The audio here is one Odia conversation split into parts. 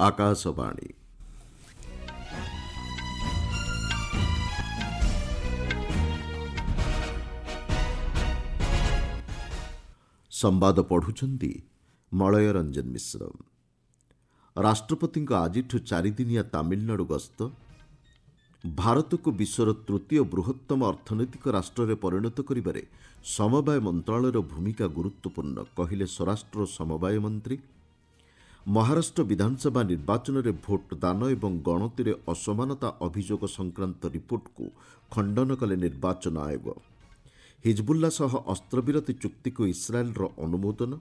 ଆକାଶବାଣୀ। ସମ୍ବାଦ ପଢ଼ୁଛନ୍ତି ମଳୟ ରଞ୍ଜନ ମିଶ୍ର। ରାଷ୍ଟ୍ରପତିଙ୍କ ଆଜିଠୁ ଚାରିଦିନିଆ ତାମିଲନାଡୁ ଗସ୍ତ। ଭାରତକୁ ବିଶ୍ୱର ତୃତୀୟ ବୃହତ୍ତମ ଅର୍ଥନୈତିକ ରାଷ୍ଟ୍ରରେ ପରିଣତ କରିବାରେ ସମବାୟ ମନ୍ତ୍ରଣାଳୟର ଭୂମିକା ଗୁରୁତ୍ୱପୂର୍ଣ୍ଣ, କହିଲେ ସ୍ୱରାଷ୍ଟ୍ର ଓ ସମବାୟ ମନ୍ତ୍ରୀ। ମହାରାଷ୍ଟ୍ର ବିଧାନସଭା ନିର୍ବାଚନରେ ଭୋଟ ଦାନ ଏବଂ ଗଣତିରେ ଅସମାନତା ଅଭିଯୋଗ ସଂକ୍ରାନ୍ତ ରିପୋର୍ଟକୁ ଖଣ୍ଡନ କଲେ ନିର୍ବାଚନ ଆୟୋଗ। ହିଜବୁଲ୍ଲା ସହ ଅସ୍ତ୍ରବିରତି ଚୁକ୍ତିକୁ ଇସ୍ରାଏଲ୍ର ଅନୁମୋଦନ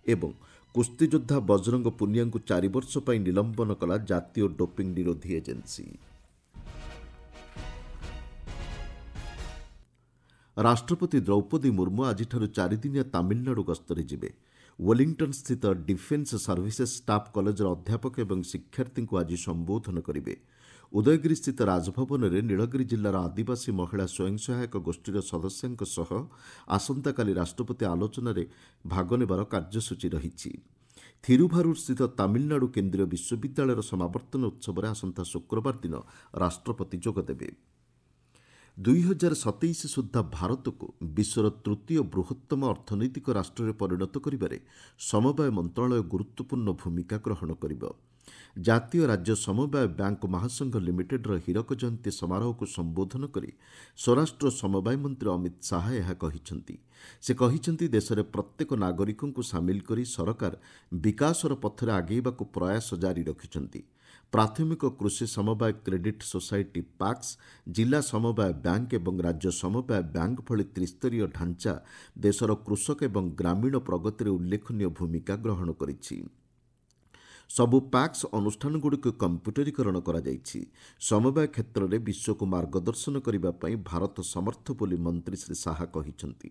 ଏବଂ କୁସ୍ତିଯୋଦ୍ଧା ବଜରଙ୍ଗ ପୁନିଆଙ୍କୁ 4 ବର୍ଷ ପାଇଁ ନିଲମ୍ବନ କଲା ଜାତୀୟ ଡୋପିଂ ନିରୋଧୀ ଏଜେନ୍ସି। ରାଷ୍ଟ୍ରପତି ଦ୍ରୌପଦୀ ମୁର୍ମୁ ଆଜିଠାରୁ ଚାରିଦିନିଆ ତାମିଲନାଡୁ ଗସ୍ତରେ ଯିବେ। ୱେଲିଂଟନ୍ସ୍ଥିତ ଡିଫେନ୍ସ ସର୍ଭିସେସ୍ ଷ୍ଟାଫ୍ କଲେଜର ଅଧ୍ୟାପକ ଏବଂ ଶିକ୍ଷାର୍ଥୀଙ୍କୁ ଆଜି ସମ୍ବୋଧନ କରିବେ। ଉଦୟଗିରିସ୍ଥିତ ରାଜଭବନରେ ନୀଳଗିରି ଜିଲ୍ଲାର ଆଦିବାସୀ ମହିଳା ସ୍ୱୟଂ ସହାୟକ ଗୋଷ୍ଠୀର ସଦସ୍ୟାଙ୍କ ସହ ଆସନ୍ତାକାଲି ରାଷ୍ଟ୍ରପତି ଆଲୋଚନାରେ ଭାଗ ନେବାର କାର୍ଯ୍ୟସୂଚୀ ରହିଛି। ଥିରୁଭାରୁରସ୍ଥିତ ତାମିଲନାଡୁ କେନ୍ଦ୍ରୀୟ ବିଶ୍ୱବିଦ୍ୟାଳୟର ସମାବର୍ତ୍ତନ ଉତ୍ସବରେ ଆସନ୍ତା ଶୁକ୍ରବାର ଦିନ ରାଷ୍ଟ୍ରପତି ଯୋଗଦେବେ। 2027 ସୁଦ୍ଧା ଭାରତକୁ ବିଶ୍ୱର ତୃତୀୟ ବୃହତ୍ତମ ଅର୍ଥନୈତିକ ରାଷ୍ଟ୍ରରେ ପରିଣତ କରିବାରେ ସମବାୟ ମନ୍ତ୍ରଣାଳୟ ଗୁରୁତ୍ୱପୂର୍ଣ୍ଣ ଭୂମିକା ଗ୍ରହଣ କରିବ। ଜାତୀୟ ରାଜ୍ୟ ସମବାୟ ବ୍ୟାଙ୍କ ମହାସଂଘ ଲିମିଟେଡ୍ର ହୀରକ ଜୟନ୍ତୀ ସମାରୋହକୁ ସମ୍ବୋଧନ କରି ସ୍ୱରାଷ୍ଟ୍ର ସମବାୟ ମନ୍ତ୍ରୀ ଅମିତ ଶାହା ଏହା କହିଛନ୍ତି। ସେ କହିଛନ୍ତି, ଦେଶରେ ପ୍ରତ୍ୟେକ ନାଗରିକଙ୍କୁ ସାମିଲ କରି ସରକାର ବିକାଶର ପଥରେ ଆଗେଇବାକୁ ପ୍ରୟାସ ଜାରି ରଖିଛନ୍ତି। ପ୍ରାଥମିକ କୃଷି ସମବାୟ କ୍ରେଡିଟ୍ ସୋସାଇଟି ପାକ୍ସ, ଜିଲ୍ଲା ସମବାୟ ବ୍ୟାଙ୍କ ଏବଂ ରାଜ୍ୟ ସମବାୟ ବ୍ୟାଙ୍କ ଭଳି ତ୍ରିସ୍ତରୀୟ ଢାଞ୍ଚା ଦେଶର କୃଷକ ଏବଂ ଗ୍ରାମୀଣ ପ୍ରଗତିରେ ଉଲ୍ଲେଖନୀୟ ଭୂମିକା ଗ୍ରହଣ କରିଛି। ସବୁ ପ୍ୟାକ୍ସ ଅନୁଷ୍ଠାନଗୁଡ଼ିକୁ କମ୍ପ୍ୟୁଟରୀକରଣ କରାଯାଇଛି। ସମବାୟ କ୍ଷେତ୍ରରେ ବିଶ୍ୱକୁ ମାର୍ଗଦର୍ଶନ କରିବା ପାଇଁ ଭାରତ ସମର୍ଥ ବୋଲି ମନ୍ତ୍ରୀ ଶ୍ରୀ ଶାହା କହିଛନ୍ତି।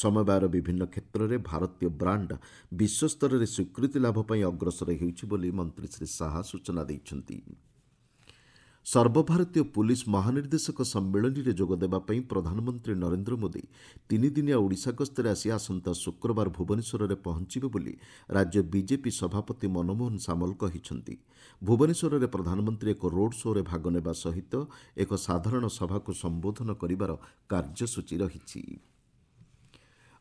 ସମବାୟର ବିଭିନ୍ନ କ୍ଷେତ୍ରରେ ଭାରତୀୟ ବ୍ରାଣ୍ଡ ବିଶ୍ୱସ୍ତରରେ ସ୍ୱୀକୃତି ଲାଭ ପାଇଁ ଅଗ୍ରସର ହେଉଛି ବୋଲି ମନ୍ତ୍ରୀ ଶ୍ରୀ ଶାହା ସୂଚନା ଦେଇଛନ୍ତି। ସର୍ବଭାରତୀୟ ପୁଲିସ୍ ମହାନିର୍ଦ୍ଦେଶକ ସମ୍ମିଳନୀରେ ଯୋଗଦେବା ପାଇଁ ପ୍ରଧାନମନ୍ତ୍ରୀ ନରେନ୍ଦ୍ର ମୋଦି ତିନିଦିନିଆ ଓଡ଼ିଶା ଗସ୍ତରେ ଆସି ଆସନ୍ତା ଶୁକ୍ରବାର ଭୁବନେଶ୍ୱରରେ ପହଞ୍ଚିବେ ବୋଲି ରାଜ୍ୟ ବିଜେପି ସଭାପତି ମନମୋହନ ସାମଲ କହିଛନ୍ତି। ଭୁବନେଶ୍ୱରରେ ପ୍ରଧାନମନ୍ତ୍ରୀ ଏକ ରୋଡ୍ ଶୋ'ରେ ଭାଗ ନେବା ସହିତ ଏକ ସାଧାରଣ ସଭାକୁ ସମ୍ବୋଧନ କରିବାର କାର୍ଯ୍ୟସୂଚୀ ରହିଛି।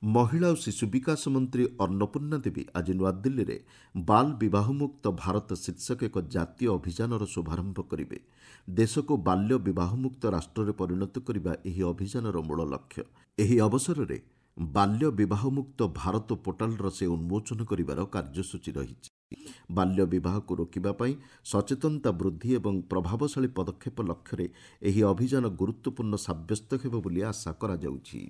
ମହିଳା ଓ ଶିଶୁ ବିକାଶ ମନ୍ତ୍ରୀ ଅନ୍ନପୂର୍ଣ୍ଣା ଦେବୀ ଆଜି ନୂଆଦିଲ୍ଲୀରେ ବାଲ୍ ବିବାହମୁକ୍ତ ଭାରତ ଶୀର୍ଷକ ଏକ ଜାତୀୟ ଅଭିଯାନର ଶୁଭାରମ୍ଭ କରିବେ। ଦେଶକୁ ବାଲ୍ୟ ବିବାହମୁକ୍ତ ରାଷ୍ଟ୍ରରେ ପରିଣତ କରିବା ଏହି ଅଭିଯାନର ମୂଳ ଲକ୍ଷ୍ୟ। ଏହି ଅବସରରେ ବାଲ୍ୟ ବିବାହମୁକ୍ତ ଭାରତ ପୋର୍ଟାଲର ସେ ଉନ୍ମୋଚନ କରିବାର କାର୍ଯ୍ୟସୂଚୀ ରହିଛି। ବାଲ୍ୟ ବିବାହକୁ ରୋକିବା ପାଇଁ ସଚେତନତା ବୃଦ୍ଧି ଏବଂ ପ୍ରଭାବଶାଳୀ ପଦକ୍ଷେପ ଲକ୍ଷ୍ୟରେ ଏହି ଅଭିଯାନ ଗୁରୁତ୍ୱପୂର୍ଣ୍ଣ ସାବ୍ୟସ୍ତ ହେବ ବୋଲି ଆଶା କରାଯାଉଛି।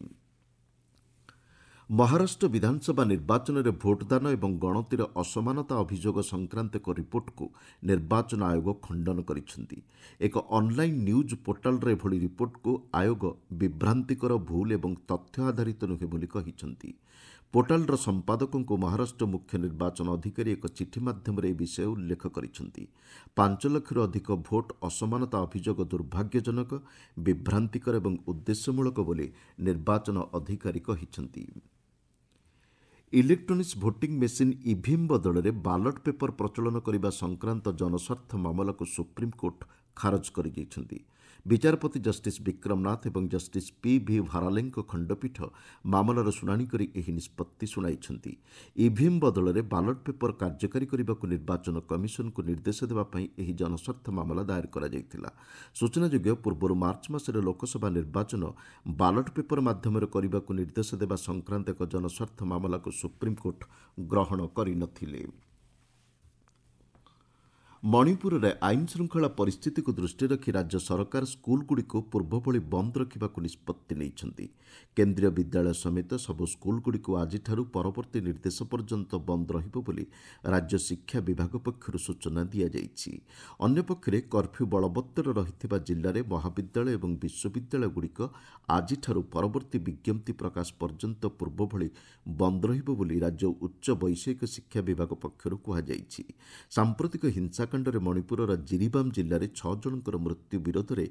ମହାରାଷ୍ଟ୍ର ବିଧାନସଭା ନିର୍ବାଚନରେ ଭୋଟଦାନ ଏବଂ ଗଣତିରେ ଅସମାନତା ଅଭିଯୋଗ ସଂକ୍ରାନ୍ତ ଏକ ରିପୋର୍ଟକୁ ନିର୍ବାଚନ ଆୟୋଗ ଖଣ୍ଡନ କରିଛନ୍ତି। ଏକ ଅନ୍ଲାଇନ୍ ନ୍ୟୁଜ୍ ପୋର୍ଟାଲର ଏଭଳି ରିପୋର୍ଟକୁ ଆୟୋଗ ବିଭ୍ରାନ୍ତିକର, ଭୁଲ ଏବଂ ତଥ୍ୟ ଆଧାରିତ ନୁହେଁ ବୋଲି କହିଛନ୍ତି। ପୋର୍ଟାଲର ସମ୍ପାଦକଙ୍କୁ ମହାରାଷ୍ଟ୍ର ମୁଖ୍ୟ ନିର୍ବାଚନ ଅଧିକାରୀ ଏକ ଚିଠି ମାଧ୍ୟମରେ ଏ ବିଷୟ ଉଲ୍ଲେଖ କରିଛନ୍ତି। 5 ଲକ୍ଷରୁ ଅଧିକ ଭୋଟ ଅସମାନତା ଅଭିଯୋଗ ଦୁର୍ଭାଗ୍ୟଜନକ, ବିଭ୍ରାନ୍ତିକର ଏବଂ ଉଦ୍ଦେଶ୍ୟମୂଳକ ବୋଲି ନିର୍ବାଚନ ଅଧିକାରୀ କହିଛନ୍ତି। ଇଲେକ୍ଟ୍ରୋନିକ୍ସ ଭୋଟିଂ ମେସିନ୍ ଇଭିଏମ୍ ବଦଳରେ ବାଲଟ୍ ପେପର ପ୍ରଚଳନ କରିବା ସଂକ୍ରାନ୍ତ ଜନସ୍ୱାର୍ଥ ମାମଲାକୁ ସୁପ୍ରିମକୋର୍ଟ ଖାରଜ କରିଦେଇଛନ୍ତି। ବିଚାରପତି ଜଷ୍ଟିସ୍ ବିକ୍ରମ ନାଥ ଏବଂ ଜଷ୍ଟିସ୍ ପି ଭି ଭାରାଲେଙ୍କ ଖଣ୍ଡପୀଠ ମାମଲାର ଶୁଣାଣି କରି ଏହି ନିଷ୍ପତ୍ତି ଶୁଣାଇଛନ୍ତି। ଇଭିଏମ୍ ବଦଳରେ ବାଲଟ୍ ପେପର କାର୍ଯ୍ୟକାରୀ କରିବାକୁ ନିର୍ବାଚନ କମିଶନକୁ ନିର୍ଦ୍ଦେଶ ଦେବା ପାଇଁ ଏହି ଜନସ୍ୱାର୍ଥ ମାମଲା ଦାଏର କରାଯାଇଥିଲା। ସୂଚନାଯୋଗ୍ୟ, ପୂର୍ବରୁ ମାର୍ଚ୍ଚ ମାସରେ ଲୋକସଭା ନିର୍ବାଚନ ବାଲଟ୍ ପେପର ମାଧ୍ୟମରେ କରିବାକୁ ନିର୍ଦ୍ଦେଶ ଦେବା ସଂକ୍ରାନ୍ତ ଏକ ଜନସ୍ୱାର୍ଥ ମାମଲାକୁ ସୁପ୍ରିମକୋର୍ଟ ଗ୍ରହଣ କରିନଥିଲେ। ମଣିପୁରରେ ଆଇନ ଶୃଙ୍ଖଳା ପରିସ୍ଥିତିକୁ ଦୃଷ୍ଟିରେ ରଖି ରାଜ୍ୟ ସରକାର ସ୍କୁଲଗୁଡ଼ିକୁ ପୂର୍ବଭଳି ବନ୍ଦ ରଖିବାକୁ ନିଷ୍ପତ୍ତି ନେଇଛନ୍ତି। କେନ୍ଦ୍ରୀୟ ବିଦ୍ୟାଳୟ ସମେତ ସବୁ ସ୍କୁଲଗୁଡ଼ିକୁ ଆଜିଠାରୁ ପରବର୍ତ୍ତୀ ନିର୍ଦ୍ଦେଶ ପର୍ଯ୍ୟନ୍ତ ବନ୍ଦ ରହିବ ବୋଲି ରାଜ୍ୟ ଶିକ୍ଷା ବିଭାଗ ପକ୍ଷରୁ ସୂଚନା ଦିଆଯାଇଛି। ଅନ୍ୟପକ୍ଷରେ କର୍ଫ୍ୟୁ ବଳବତ୍ତର ରହିଥିବା ଜିଲ୍ଲାରେ ମହାବିଦ୍ୟାଳୟ ଏବଂ ବିଶ୍ୱବିଦ୍ୟାଳୟଗୁଡ଼ିକ ଆଜିଠାରୁ ପରବର୍ତ୍ତୀ ବିଜ୍ଞପ୍ତି ପ୍ରକାଶ ପର୍ଯ୍ୟନ୍ତ ପୂର୍ବଭଳି ବନ୍ଦ ରହିବ ବୋଲି ରାଜ୍ୟ ଉଚ୍ଚ ବୈଷୟିକ ଶିକ୍ଷା ବିଭାଗ ପକ୍ଷରୁ କୁହାଯାଇଛି। ସାମ୍ପ୍ରତିକ ହିଂସା କାଣ୍ଡରେ ମଣିପୁରର ଜିରିବାମ ଜିଲ୍ଲାରେ 6 ଜଣଙ୍କର ମୃତ୍ୟୁ ବିରୋଧରେ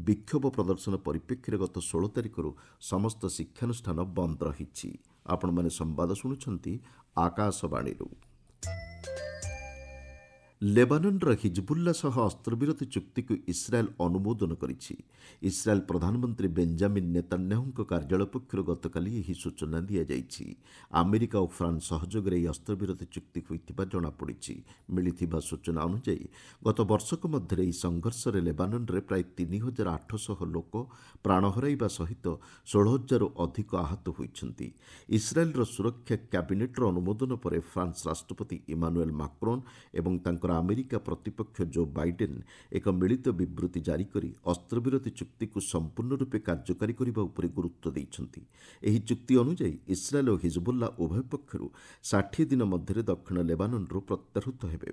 ବିକ୍ଷୋଭ ପ୍ରଦର୍ଶନ ପରିପ୍ରେକ୍ଷୀରେ ଗତ 16 ତାରିଖରୁ ସମସ୍ତ ଶିକ୍ଷାନୁଷ୍ଠାନ ବନ୍ଦ ରହିଛି। ଆପଣମାନେ ସମ୍ବାଦ ଶୁଣୁଛନ୍ତି ଆକାଶବାଣୀରୁ। ଲେବାନନ୍ର ହିଜବୁଲ୍ଲା ସହ ଅସ୍ତ୍ରବିରତି ଚୁକ୍ତିକୁ ଇସ୍ରାଏଲ୍ ଅନୁମୋଦନ କରିଛି। ଇସ୍ରାଏଲ୍ ପ୍ରଧାନମନ୍ତ୍ରୀ ବେଞ୍ଜାମିନ୍ ନେତାନ୍ୟାହୁଙ୍କ କାର୍ଯ୍ୟାଳୟ ପକ୍ଷରୁ ଗତକାଲି ଏହି ସୂଚନା ଦିଆଯାଇଛି। ଆମେରିକା ଓ ଫ୍ରାନ୍ସ ସହଯୋଗରେ ଏହି ଅସ୍ତ୍ରବିରତି ଚୁକ୍ତି ହୋଇଥିବା ଜଣାପଡ଼ିଛି। ମିଳିଥିବା ସୂଚନା ଅନୁଯାୟୀ, ଗତ ବର୍ଷକ ମଧ୍ୟରେ ଏହି ସଂଘର୍ଷରେ ଲେବାନନ୍ରେ ପ୍ରାୟ 3800 ଲୋକ ପ୍ରାଣ ହରାଇବା ସହିତ 16,000ରୁ ଅଧିକ ଆହତ ହୋଇଛନ୍ତି। ଇସ୍ରାଏଲ୍ର ସୁରକ୍ଷା କ୍ୟାବିନେଟ୍ର ଅନୁମୋଦନ ପରେ ଫ୍ରାନ୍ସ ରାଷ୍ଟ୍ରପତି ଇମାନୁଏଲ୍ ମାକ୍ରୋନ୍ ଏବଂ ତାଙ୍କର ଆମେରିକା ପ୍ରତିପକ୍ଷ ଜୋ ବାଇଡେନ୍ ଏକ ମିଳିତ ବିବୃତ୍ତି ଜାରି କରି ଅସ୍ତ୍ରବିରତି ଚୁକ୍ତିକୁ ସମ୍ପୂର୍ଣ୍ଣ ରୂପେ କାର୍ଯ୍ୟକାରୀ କରିବା ଉପରେ ଗୁରୁତ୍ୱ ଦେଇଛନ୍ତି। ଏହି ଚୁକ୍ତି ଅନୁଯାୟୀ ଇସ୍ରାଏଲ୍ ଓ ହିଜବୁଲ୍ଲା ଉଭୟ ପକ୍ଷରୁ 60 ଦିନ ମଧ୍ୟରେ ଦକ୍ଷିଣ ଲେବାନନ୍ରୁ ପ୍ରତ୍ୟାହୃତ ହେବେ।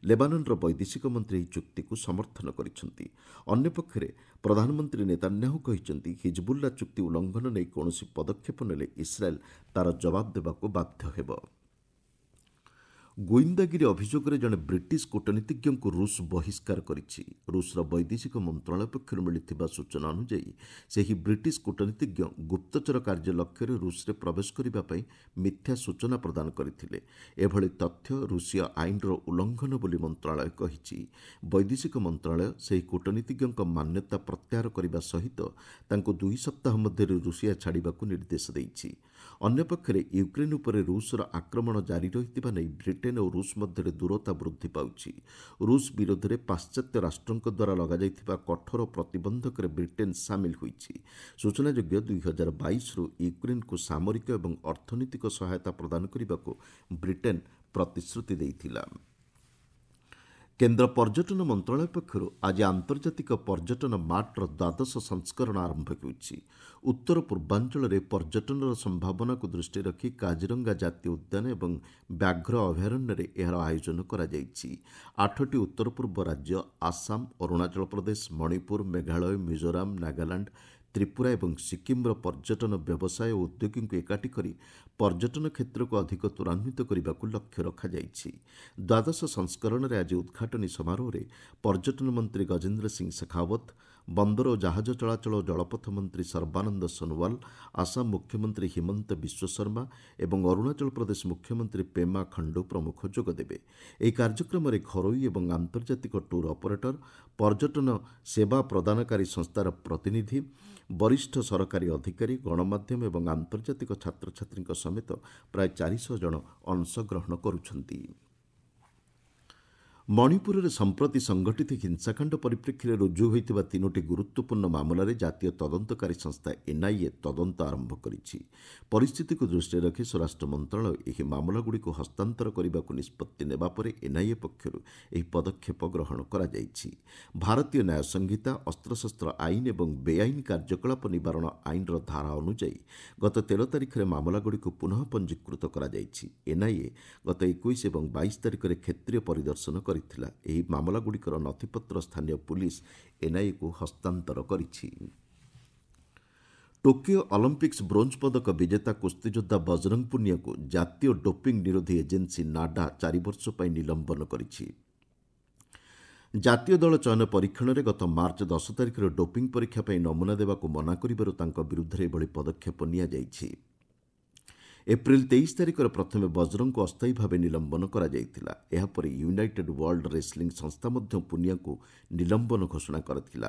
ଲେବାନନ୍ର ବୈଦେଶିକ ମନ୍ତ୍ରୀ ଏହି ଚୁକ୍ତିକୁ ସମର୍ଥନ କରିଛନ୍ତି। ଅନ୍ୟପକ୍ଷରେ ପ୍ରଧାନମନ୍ତ୍ରୀ ନେତାନ୍ୟାହୁ କହିଛନ୍ତି, ହିଜବୁଲ୍ଲା ଚୁକ୍ତି ଉଲ୍ଲଂଘନ ନେଇ କୌଣସି ପଦକ୍ଷେପ ନେଲେ ଇସ୍ରାଏଲ୍ ତା'ର ଜବାବ ଦେବାକୁ ବାଧ୍ୟ ହେବ। ଗୁଇନ୍ଦାଗିରି ଅଭିଯୋଗରେ ଜଣେ ବ୍ରିଟିଶ କୂଟନୀତିଜ୍ଞଙ୍କୁ ରୁଷ ବହିଷ୍କାର କରିଛି। ରୁଷର ବୈଦେଶିକ ମନ୍ତ୍ରଣାଳୟ ପକ୍ଷରୁ ମିଳିଥିବା ସୂଚନା ଅନୁଯାୟୀ, ସେହି ବ୍ରିଟିଶ କୂଟନୀତିଜ୍ଞ ଗୁପ୍ତଚର କାର୍ଯ୍ୟ ଲକ୍ଷ୍ୟରେ ରୁଷରେ ପ୍ରବେଶ କରିବା ପାଇଁ ମିଥ୍ୟା ସୂଚନା ପ୍ରଦାନ କରିଥିଲେ। ଏଭଳି ତଥ୍ୟ ରୁଷୀୟ ଆଇନର ଉଲ୍ଲଂଘନ ବୋଲି ମନ୍ତ୍ରଣାଳୟ କହିଛି। ବୈଦେଶିକ ମନ୍ତ୍ରଣାଳୟ ସେହି କୂଟନୀତିଜ୍ଞଙ୍କ ମାନ୍ୟତା ପ୍ରତ୍ୟାହାର କରିବା ସହିତ ତାଙ୍କୁ 2 ସପ୍ତାହ ମଧ୍ୟରେ ରୁଷିଆ ଛାଡ଼ିବାକୁ ନିର୍ଦ୍ଦେଶ ଦେଇଛି। ଅନ୍ୟପକ୍ଷରେ ୟୁକ୍ରେନ୍ ଉପରେ ରୁଷର ଆକ୍ରମଣ ଜାରି ରହିଥିବା ନେଇ ବ୍ରିଟେନ୍ ଓ ରୁଷ ମଧ୍ୟରେ ଦୂରତା ବୃଦ୍ଧି ପାଉଛି। ରୁଷ ବିରୋଧରେ ପାଶ୍ଚାତ୍ୟ ରାଷ୍ଟ୍ରଙ୍କ ଦ୍ୱାରା ଲଗାଯାଇଥିବା କଠୋର ପ୍ରତିବନ୍ଧକରେ ବ୍ରିଟେନ୍ ସାମିଲ ହୋଇଛି। ସୂଚନାଯୋଗ୍ୟ, 2022ରୁ ୟୁକ୍ରେନ୍କୁ ସାମରିକ ଏବଂ ଅର୍ଥନୈତିକ ସହାୟତା ପ୍ରଦାନ କରିବାକୁ ବ୍ରିଟେନ୍ ପ୍ରତିଶ୍ରୁତି ଦେଇଥିଲା। କେନ୍ଦ୍ର ପର୍ଯ୍ୟଟନ ମନ୍ତ୍ରଣାଳୟ ପକ୍ଷରୁ ଆଜି ଆନ୍ତର୍ଜାତିକ ପର୍ଯ୍ୟଟନ ମାର୍ଟର ଦ୍ୱାଦଶ ସଂସ୍କରଣ ଆରମ୍ଭ ହେଉଛି। ଉତ୍ତର ପୂର୍ବାଞ୍ଚଳରେ ପର୍ଯ୍ୟଟନର ସମ୍ଭାବନାକୁ ଦୃଷ୍ଟିରେ ରଖି କାଜିରଙ୍ଗା ଜାତୀୟ ଉଦ୍ୟାନ ଏବଂ ବ୍ୟାଘ୍ର ଅଭୟାରଣ୍ୟରେ ଏହାର ଆୟୋଜନ କରାଯାଇଛି। 8ଟି ଉତ୍ତର ପୂର୍ବ ରାଜ୍ୟ ଆସାମ, ଅରୁଣାଚଳ ପ୍ରଦେଶ, ମଣିପୁର, ମେଘାଳୟ, ମିଜୋରାମ, ନାଗାଲାଣ୍ଡ, ତ୍ରିପୁରା ଏବଂ ସିକ୍କିମ୍ର ପର୍ଯ୍ୟଟନ ବ୍ୟବସାୟ ଓ ଉଦ୍ୟୋଗୀଙ୍କୁ ଏକାଠି କରି ପର୍ଯ୍ୟଟନ କ୍ଷେତ୍ରକୁ ଅଧିକ ତ୍ୱରାନ୍ୱିତ କରିବାକୁ ଲକ୍ଷ୍ୟ ରଖାଯାଇଛି। ଦ୍ୱାଦଶ ସଂସ୍କରଣରେ ଆଜି ଉଦ୍ଘାଟନୀ ସମାରୋହରେ ପର୍ଯ୍ୟଟନ ମନ୍ତ୍ରୀ ଗଜେନ୍ଦ୍ର ସିଂ ଶେଖାଓ୍ୱତ, ବନ୍ଦର ଓ ଜାହାଜ ଚଳାଚଳ ଓ ଜଳପଥ ମନ୍ତ୍ରୀ ସର୍ବାନନ୍ଦ ସୋନୋୱାଲ, ଆସାମ ମୁଖ୍ୟମନ୍ତ୍ରୀ ହିମନ୍ତ ବିଶ୍ୱଶର୍ମା ଏବଂ ଅରୁଣାଚଳ ପ୍ରଦେଶ ମୁଖ୍ୟମନ୍ତ୍ରୀ ପେମା ଖଣ୍ଡୁ ପ୍ରମୁଖ ଯୋଗଦେବେ। ଏହି କାର୍ଯ୍ୟକ୍ରମରେ ଘରୋଇ ଏବଂ ଆନ୍ତର୍ଜାତିକ ଟୁର୍ ଅପରେଟର, ପର୍ଯ୍ୟଟନ ସେବା ପ୍ରଦାନକାରୀ ସଂସ୍ଥାର ପ୍ରତିନିଧି, ବରିଷ୍ଠ ସରକାରୀ ଅଧିକାରୀ, ଗଣମାଧ୍ୟମ ଏବଂ ଆନ୍ତର୍ଜାତିକ ଛାତ୍ରଛାତ୍ରୀଙ୍କ ସମେତ ପ୍ରାୟ 400 ଜଣ ଅଂଶଗ୍ରହଣ କରୁଛନ୍ତି। ମଣିପୁରରେ ସମ୍ପ୍ରତି ସଂଘଟିତ ହିଂସାକାଣ୍ଡ ପରିପ୍ରେକ୍ଷୀରେ ରୁଜୁ ହୋଇଥିବା 3ଟି ଗୁରୁତ୍ୱପୂର୍ଣ୍ଣ ମାମଲାରେ ଜାତୀୟ ତଦନ୍ତକାରୀ ସଂସ୍ଥା ଏନ୍ଆଇଏ ତଦନ୍ତ ଆରମ୍ଭ କରିଛି। ପରିସ୍ଥିତିକୁ ଦୃଷ୍ଟିରେ ରଖି ସ୍ୱରାଷ୍ଟ୍ର ମନ୍ତ୍ରଣାଳୟ ଏହି ମାମଲାଗୁଡ଼ିକୁ ହସ୍ତାନ୍ତର କରିବାକୁ ନିଷ୍ପତ୍ତି ନେବା ପରେ ଏନ୍ଆଇଏ ପକ୍ଷରୁ ଏହି ପଦକ୍ଷେପ ଗ୍ରହଣ କରାଯାଇଛି। ଭାରତୀୟ ନ୍ୟାୟ ସଂହିତା, ଅସ୍ତ୍ରଶସ୍ତ୍ର ଆଇନ ଏବଂ ବେଆଇନ କାର୍ଯ୍ୟକଳାପ ନିବାରଣ ଆଇନର ଧାରା ଅନୁଯାୟୀ ଗତ 13 ତାରିଖରେ ମାମଲାଗୁଡ଼ିକୁ ପୁନଃ ପଞ୍ଜୀକୃତ କରାଯାଇଛି। ଏନ୍ଆଇଏ ଗତ 21 ଏବଂ 22 ତାରିଖରେ କ୍ଷେତ୍ରୀୟ ପରିଦର୍ଶନ କରିଥିଲା। ଏହି ମାମଲାଗୁଡ଼ିକର ନଥିପତ୍ର ସ୍ଥାନୀୟ ପୁଲିସ୍ ଏନ୍ଆଇଏକୁ ହସ୍ତାନ୍ତର କରିଛି। ଟୋକିଓ ଅଲିମ୍ପିକ୍ସ ବ୍ରୋଞ୍ଜ ପଦକ ବିଜେତା କୁସ୍ତିଯୋଦ୍ଧା ବଜରଙ୍ଗ ପୁନିଆକୁ ଜାତୀୟ ଡୋପିଂ ନିରୋଧୀ ଏଜେନ୍ସି ନାଡା 4 ବର୍ଷ ପାଇଁ ନିଲମ୍ବନ କରିଛି। ଜାତୀୟ ଦଳ ଚୟନ ପରୀକ୍ଷଣରେ ଗତ ମାର୍ଚ୍ଚ 10 ତାରିଖରେ ଡୋପିଂ ପରୀକ୍ଷା ପାଇଁ ନମୁନା ଦେବାକୁ ମନା କରିବାରୁ ତାଙ୍କ ବିରୁଦ୍ଧରେ ଏଭଳି ପଦକ୍ଷେପ ନିଆଯାଇଛି। ଏପ୍ରିଲ 23 ତାରିଖରେ ପ୍ରଥମେ ବଜରଙ୍ଗଙ୍କୁ ଅସ୍ଥାୟୀ ଭାବେ ନିଲମ୍ବନ କରାଯାଇଥିଲା। ଏହାପରେ ୟୁନାଇଟେଡ୍ ୱାର୍ଲଡ ରେସ୍ଲିଂ ସଂସ୍ଥା ମଧ୍ୟ ପୁନିଆଙ୍କୁ ନିଲମ୍ବନ ଘୋଷଣା କରିଥିଲା।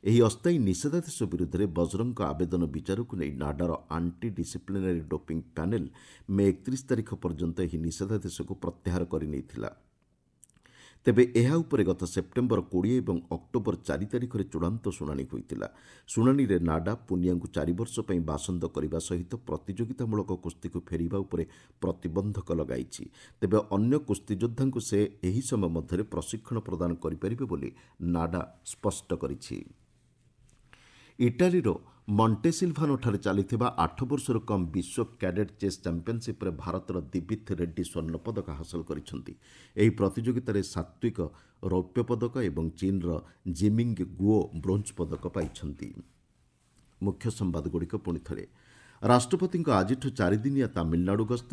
ଏହି ଅସ୍ଥାୟୀ ନିଷେଧାଦେଶ ବିରୁଦ୍ଧରେ ବଜରଙ୍ଗଙ୍କ ଆବେଦନ ବିଚାରକୁ ନେଇ ନାଡାର anti disciplinary doping panel May 31 ତାରିଖ ପର୍ଯ୍ୟନ୍ତ ଏହି ନିଷେଧାଦେଶକୁ ପ୍ରତ୍ୟାହାର କରିନେଇଥିଲା। ତେବେ ଏହା ଉପରେ ଗତ ସେପ୍ଟେମ୍ବର 20 ଏବଂ ଅକ୍ଟୋବର 4 ତାରିଖରେ ଚୂଡ଼ାନ୍ତ ଶୁଣାଣି ହୋଇଥିଲା। ଶୁଣାଣିରେ ନାଡା ପୁନିଆଙ୍କୁ 4 ବର୍ଷ ପାଇଁ ବାସନ୍ଦ କରିବା ସହିତ ପ୍ରତିଯୋଗିତାମୂଳକ କୁସ୍ତିକୁ ଫେରିବା ଉପରେ ପ୍ରତିବନ୍ଧକ ଲଗାଇଛି। ତେବେ ଅନ୍ୟ କୁସ୍ତିଯୋଦ୍ଧାଙ୍କୁ ସେ ଏହି ସମୟ ମଧ୍ୟରେ ପ୍ରଶିକ୍ଷଣ ପ୍ରଦାନ କରିପାରିବେ ବୋଲି ନାଡା ସ୍ପଷ୍ଟ କରିଛି। ଇଟାଲୀର ମଣ୍ଟେସିଲଭାନୋଠାରେ ଚାଲିଥିବା 8 ବର୍ଷରୁ କମ୍ ବିଶ୍ୱ କ୍ୟାଡେଟ୍ ଚେସ୍ ଚାମ୍ପିୟନସିପ୍ରେ ଭାରତର ଦିବିଥ୍ ରେଡ୍ଡି ସ୍ୱର୍ଣ୍ଣ ପଦକ ହାସଲ କରିଛନ୍ତି। ଏହି ପ୍ରତିଯୋଗିତାରେ ସାତ୍ୱିକ ରୌପ୍ୟ ପଦକ ଏବଂ ଚୀନ୍ର ଜିମିଙ୍ଗ ଗୁଓ ବ୍ରୋଞ୍ଜ ପଦକ ପାଇଛନ୍ତି। ମୁଖ୍ୟ ସମ୍ବାଦଗୁଡ଼ିକ ପୁଣି ଥରେ। ରାଷ୍ଟ୍ରପତିଙ୍କ ଆଜିଠୁ 4 ଦିନିଆ ତାମିଲନାଡୁ ଗସ୍ତ।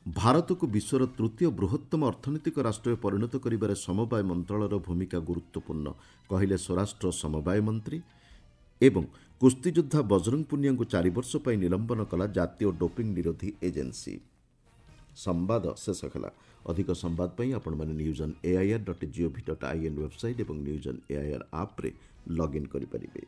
ଭାରତକୁ ବିଶ୍ୱର ତୃତୀୟ ବୃହତ୍ତମ ଅର୍ଥନୈତିକ ରାଷ୍ଟ୍ରରେ ପରିଣତ କରିବାରେ ସମବାୟ ମନ୍ତ୍ରଣାଳୟର ଭୂମିକା ଗୁରୁତ୍ୱପୂର୍ଣ୍ଣ, କହିଲେ ସ୍ୱରାଷ୍ଟ୍ର ସମବାୟ ମନ୍ତ୍ରୀ। ଏବଂ କୁସ୍ତିଯୋଦ୍ଧା ବଜରଙ୍ଗ ପୁନିଆଙ୍କୁ 4 ବର୍ଷ ପାଇଁ ନିଲମ୍ବନ କଲା ଜାତୀୟ ଡୋପିଂ ନିରୋଧୀ ଏଜେନ୍ସି। ସମ୍ବାଦ ଶେଷ ହେଲା। ଅଧିକ ସମ୍ବାଦ ପାଇଁ ଆପଣମାନେ news on AIR dot GOV dot IN website ଏବଂ ନ୍ୟୁଜ୍ ଅନ୍ ଏଆଇଆର୍ ଆପ୍ରେ ଲଗ୍ଇନ୍ କରିପାରିବେ।